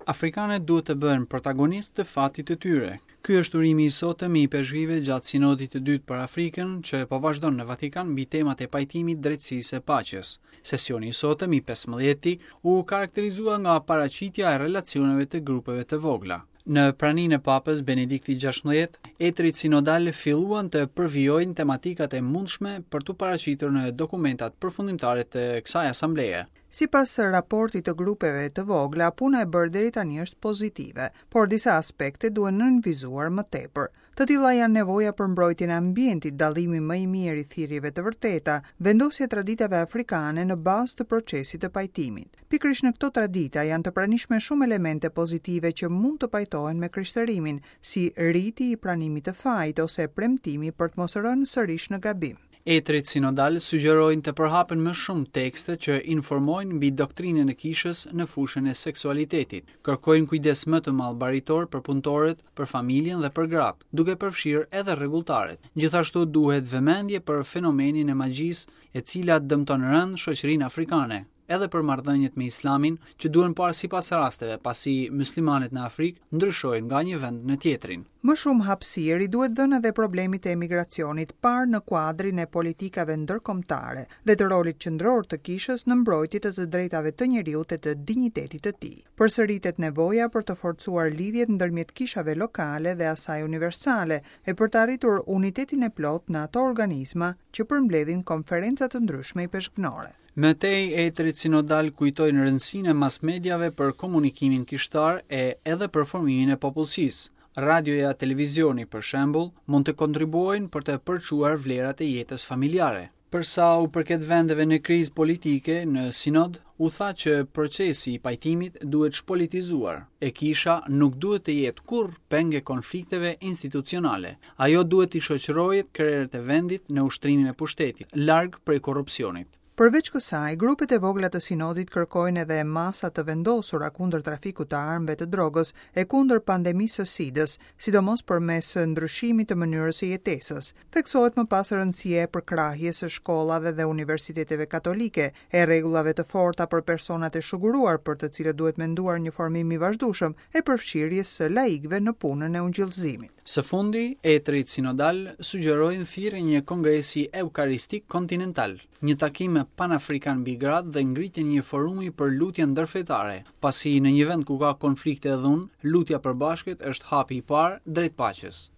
Afrikanët duhet të bëhen protagonistë të fatit të tyre. Ky është urimi i sotëm i ipeshkvijve gjatë Sinodit të dytë për Afrikën, që po vazhdon në Vatikan mbi temat e pajtimit, drejtësisë e paqes. Sesioni i sotëm i 15-ti u karakterizua nga paraqitja e relacioneve të grupeve të vogla. Në praninë e Papës Benedikti XVI, etërit sinodalë filluan të përvijojnë tematikat e mundshme për t'u paraqitur në dokumentat përfundimtare të kësaj asambleje. Sipas raportit të grupeve të vogla, puna e bërë deri tani është pozitive, por disa aspekte duhen nënvizuar më tepër. Të tilla janë nevoja për mbrojtjen e ambientit, dallimi më i mirë i thirrjeve të vërteta, vendosja e traditave afrikane në bazë të procesit të pajtimit. Pikërisht në këto tradita janë të pranishme shumë elemente pozitive që mund të pajtohen me krishterimin, si riti i pranimit të fajit ose premtimi për të mos rënë sërish në gabim. Etërit sinodalë sugjerojnë të përhapen më shumë tekste që informojnë mbi doktrinën e kishës në fushën e seksualitetit, kërkojnë kujdes më të madh baritor për punëtorët, për familjen dhe për gratë, duke përfshirë edhe rregulltaret. Gjithashtu duhet vëmendje për fenomenin e magjisë, e cila dëmton rëndë shoqërinë afrikane. edhe për marrëdhëniet me Islamin, që duhen parë sipas rasteve, pasi myslimanët në Afrikë ndryshojnë nga një vend në tjetrin. Më shumë hapësirë i duhet dhënë edhe problemit të emigracionit, parë në kuadrin e politikave ndërkombëtare dhe të rolit qendror të Kishës në mbrojtje të të drejtave të njeriut e të dinjitetit të tij. Përsëritet nevoja për të forcuar lidhjet ndërmjet kishave lokale dhe asaj universale e për të arritur unitetin e plotë në ato organizma që përmbledhin konferenca të ndryshme ipeshkvnore. Më tej, etërit sinodalë kujtojnë rëndësinë e masmediave për komunikimin kishtar e edhe për formimin e popullsisë. Radioja, televizioni, për shembull, mund të kontribuojnë për të përçuar vlerat e jetës familjare. Për sa u përket vendeve në krizë politike, në sinod u tha që procesi i pajtimit duhet shpolitizuar, e kisha nuk duhet të jetë kurrë peng e konflikteve institucionale. Ajo duhet t'i shoqërojë krerët e vendit në ushtrimin e pushtetit, larg prej korrupsionit. Përveç kësaj, grupet e vogla të sinodit kërkojnë edhe masa të vendosura kundër trafikut të armëve të drogës e kundër pandemisë së SIDës, sidomos përmes ndryshimit të mënyrës së jetesës. Theksohet më pas rëndësia e përkrahjes së shkollave dhe universiteteve katolike, e rregullave të forta për personat e shuguruar për të cilët duhet menduar një formim i vazhdueshëm, e përfshirjes së laikëve në punën e ungjillëzimit. Së fundi, etërit sinodalë sugjerojnë thirrjen e një kongresi eukaristik kontinental, një takim panafrikan mbi gratë dhe ngritjen e një forumi për lutje ndërfetare, pasi në një vend ku ka konflikte e dhunë, lutja e përbashkët është hapi i parë drejt paqes.